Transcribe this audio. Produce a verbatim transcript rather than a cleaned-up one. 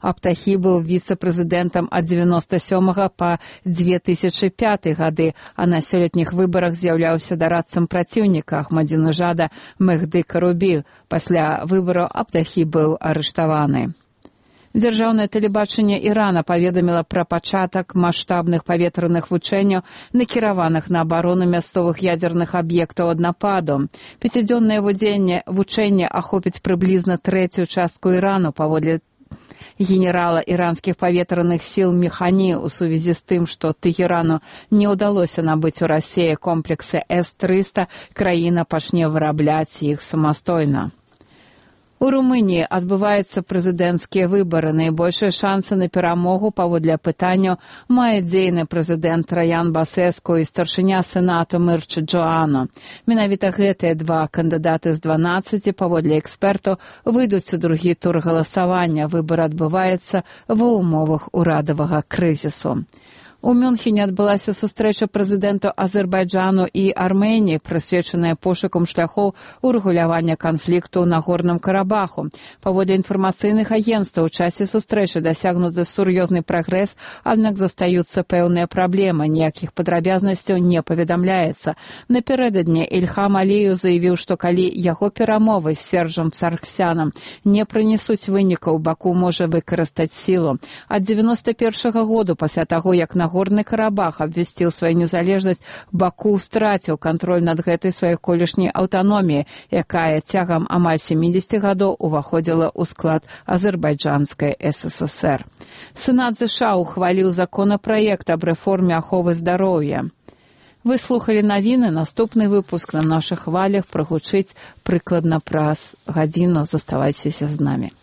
Абтахі быў віцэ-прэзідэнтам ад дзевяноста сёмага па дзве тысячы пяты гады, а на сёлетніх выбарах з'яўляўся дарадцам праціўніка Ахмадзінежада Мехды Карубі. Пасля выбараў Абтахі быў арыштаваны. Дзяржаўнае тэлебачанне Ірана паведаміла пра пачатак маштабных паветраных вучэнняў, накіраваных на абарону мясцовых ядзерных аб'ектаў ад нападу. Пяцідзённае вучэнне ахопіць прыблізна трэцюю частку Ірану, паводле генерала іранскіх паветраных сіл Механі, у сувязі з тым, што Тэхерану не ўдалося набыць у Расіі комплексы эс трыста, краіна пачне вырабляць іх самастойна. У Румыніі адбываюцца прэзідэнцкія выбары. Найбольшыя шансы на перамогу паводле апытанняў мае дзейны прэзідэнт Траян Басэску і старшыня сенату Мірча Джоану. Менавіта гэтыя два кандыдаты з дванаццаці, паводле экспертаў, выйдуць у другі тур галасавання. Выбар адбываецца ва ўмовах урадавага крызісу. У Мюнхене адбылася сустрэча прэзідэнтаў Азербайджану і Арменіі, прысвечаная пошукам шляхоў урэгулявання канфлікту ў Нагорным Карабаху. Паводле інфармацыйных агенцтваў, у часе сустрэчы дасягнуты сур'ёзны прагрэс, аднак застаюцца пэўныя праблемы, ніякіх падрабязнасцяў не паведамляецца. Напярэдадні Ільхам Аліеў заявіў, што калі яго перамовы з Сержам Сарксянам не прынесуць вынікаў, Баку можа выкарыстаць сілу. Ад дзевяноста першага году, пасля таго, як на Нагорны Карабах абвясціў сваю незалежнасць, Баку страціў кантроль над гэтай сваёй колішняй аўтаноміяй, якая цягам амаль сямідзесяці гадоў уваходзіла ў склад азербайджанскай эс эс эс эр. Сенат ЗША ухваліў законапраект аб рэформе аховы здароўя. Вы слухалі навіны, наступны выпуск на нашых хвалях прагучыць прыкладна праз гадзіну. Заставайцеся з намі.